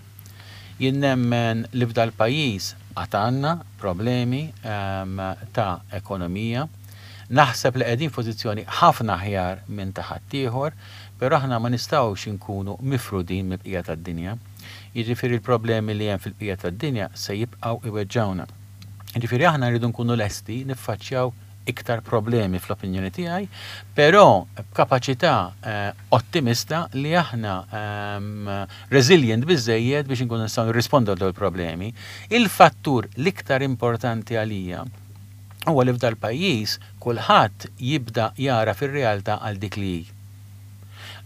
Jien nemmen li f'dal-pajjiż għad għandna problemi ta' ekonomija. Naħseb li qegħdin f'pożizzjoni ħafna aħjar minn ta' ħaddieħor, però aħna ma nistgħux inkunu mifrudin mill-bqija tad-dinja. Jiġifieri l-problemi li hemm fil-bqija tad-dinja se jibqgħu iweġġgħuna. Jiġifieri aħna rridu nkunu lesti niffaċċjaw iktar problemi fl-opinjoni tiegħi, però b'kapaċità ottimista li aħna resilient biżżejjed biex inkunu nistgħu nirrispondu għal dawn il-problemi. Il-fattur l-iktar importanti għalija huwa li f'dal-pajjiż kulħadd jibda jagħraf ir-realtà għal dik li hi.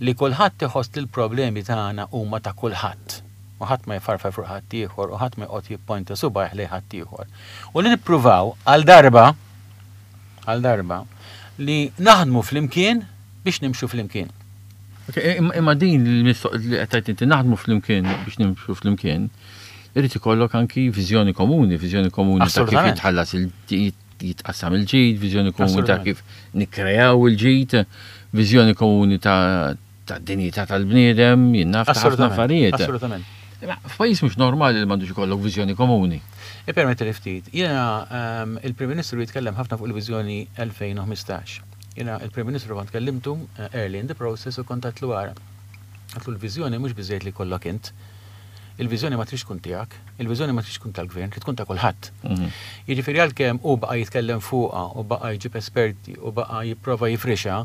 Li kulħadd iħoss li l-problemi tagħna huma ta' kulħadd u ħadd ma jfarfar fuq ħaddieħor u ħadd ma joqgħod jipponta subgħajh lejn ħaddieħor. U li nippruvaw għal darba, għal darba, li naħdmu flimkien biex nimxu flimkien. Imma din li qed tgħid inti naħdmu flimkien biex nimxu flimkien, irid ikollok anki viżjoni komuni, viżjoni komuni ta' kif jitħallas jitqassam il-ġid, viżjoni komuni ta' kif nikkreaw il-ġid, viżjoni komuni ta' dinjità tal-bniedem, jien naf ta' ħafna affarijiet. Assolutament. F'pajjiż mhux normali li m'għandux ikollok viżjoni komuni. Ippermettili ftit. Jiena ehm, il-Prim Ministru jitkellem ħafna fuq il-viżjoni 2015. Jiena il-Prim Ministru kont kellimtu eh, early in the process u kont għedtlu ara. Għedtlu l-viżjoni mhux biżejjed li jkollok int. Il-viżjoni ma tridx tkun tiegħek, il-viżjoni ma tridx tkun tal-gvern, trid tkun ta' kulħadd. Mhm. Jiġifieri għalkemm hu baqa' jitkellem fuqha u baqa' jġib esperti u baqa' jipprova jifrixha,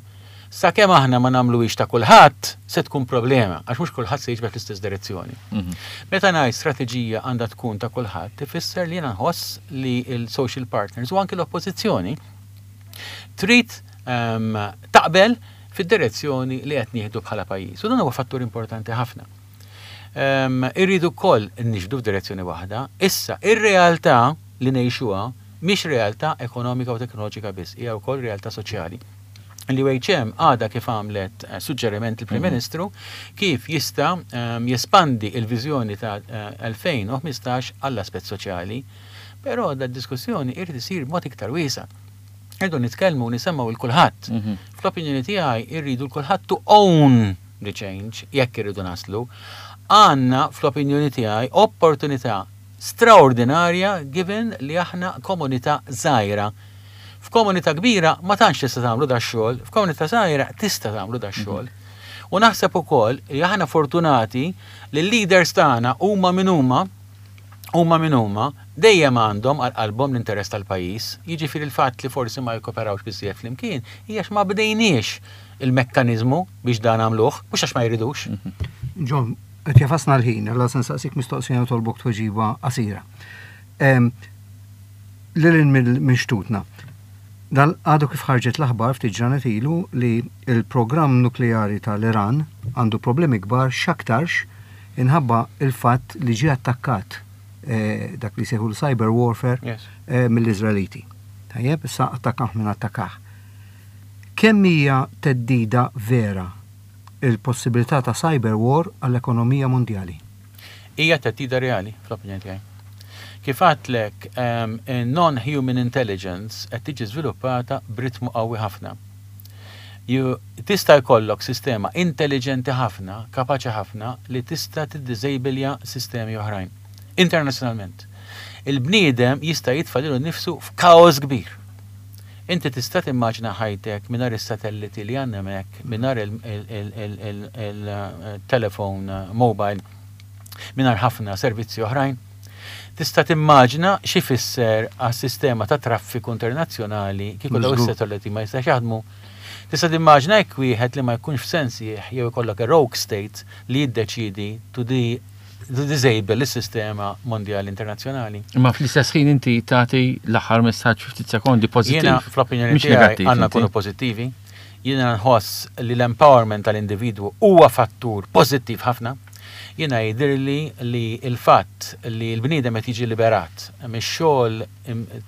sakemm aħna ma nagħmluhiex ta' kulħadd, se tkun problema, għax mhux kulħadd se jiġbed l-istess direzzjoni. Mhm. Meta ngħid strateġija għandha tkun ta' kulħadd, ifisser li jiena nħoss li l-social partners u anki l-oppożizzjoni trid ehm, taqbel fid-direzzjoni li qed nieħdu bħala pajjiż. U dan huwa fattur importanti ħafna. Ehm, irridu wkoll nixdu f'direzzjoni waħda. Issa, ir-realtà li ngħixuha mhix realtà ekonomika u teknoloġika biss, hija wkoll realtà soċjali. L-UHM għadha kif għamlet eh, suġġeriment il-Prim mhm. Ministru kif jista' ehm, jespandi il-viżjoni ta' 2015 eh, għall-aspett soċjali. Però da diskussjoni irid isir mod iktar wiesa'. Irridu nitkellmu u nisemgħu 'l kulħadd. Mhm. Fl-opinjoni tiegħi irridu 'l kulħadd to own the change jekk irridu naslu. Għandna fl-opinjoni tiegħi opportunità straordinarja given li aħna komunità żgħira. F'komunità kbira ma tantx tista' tagħmlu dax-xogħol, f'komunità żgħira tista' tagħmlu dax-xogħol. Mhm. U naħseb ukoll li aħna fortunati li l-leaders tagħna huma min huma huma min huma, dejjem għandhom għal qalbhom l-interess tal-pajjiż. Jiġifieri l-fatt li forsi ma jikkoperawx biżżejjed flimkien hija għax ma bdejniex il-mekkaniżmu biex dan nagħmluh, mhux għax ma jridux. John, qed jafasna l-ħin, allura se nsaqsik mistoqsija nitolbok tweġiba qasira. Lil hinn minn xtutna. Dan għadu kif ħarġet l-aħbar ftit ġranet ilu li l-programm nukleari tal-Iran għandu problemi kbar x'aktarx inħabba il-fatt li ġie attakkat eh, dak li jsejħu l-cyber warfare eh, mill-Iżraeliti. Tajjeb, issa attakah minn attakah. Kemm hija theddida vera il-possibilità ta' cyber war għall-ekonomija mondjali? Hija theddida reali, fl-opinjoni tiegħi. Kif għedtlek, non-human intelligence qed tiġi żviluppata b'ritmu qawwi ħafna. Tista' jkollok sistema intelliġenti ħafna, kapaċi ħafna li tista' tiddiżejbilja sistemi oħrajn. Internazzjonalment. Il-bniedem jista' jitfa' lilu nnifsu f'kaos kbir. Inti tista' timmaġina ħajtek mingħajr is-satelliti li għandna hemmhekk, mingħajr il-telefon mobile, mingħajr ħafna servizzi oħrajn? Tista' timmaġina x'ifisser għas-sistema ta' traffiku internazzjonali kieku dawn is-satelliti ma jistax jaħdmu? Tista' timmaġina jekk wieħed li ma jkunx f'sensih jew ikollok a rogue state li jiddeċiedi to to disable is-sistema mondjali internazzjonali. Imma fl-istess ħin inti tagħti l-aħħar messaġġ fi ftit sekondi pożittiv. Jiena fl-opinjoni tiegħi għandna nkunu pożittivi. Jiena nħoss li l-empowerment tal-individwu huwa fattur pożittiv ħafna. Jiena jidhirli li l-fatt li l-bniedem qed jiġi liberat mix-xogħol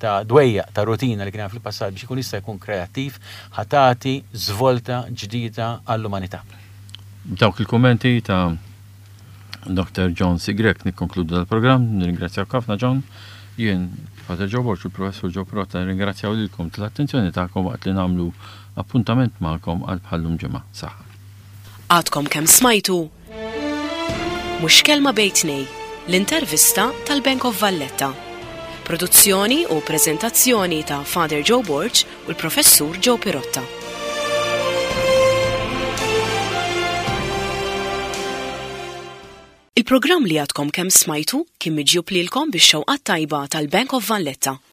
ta' dwejjaq ta' rutina li kien hemm fil-passat biex ikun jista' jkun kreattiv ħa tagħti żvolta ġdida għall-umanità. B'dawk il-kummenti ta' Dr. John C. Grech nikkonkludu dal-programm, nirringrazzjawk ħafna John. Jien, Father Joe Borg u l-Professur Joe Pirotta nirringrazzjaw lilkom tal-attenzjoni tagħkom waqt li nagħmlu appuntament magħkom għal bħal-lum ġimgħa. Saħħa. Għadkom kemm smajtu Mhux Kelma Bejn Tnej, l-intervista tal-Bank of Valletta. Produzzjoni u preżentazzjoni ta' Father Joe Borg u l-Professur Joe Pirotta. Il-programm li għadkom kemm smajtu kien miġjub lilkom bix-xewqat tajba tal-Bank of Valletta.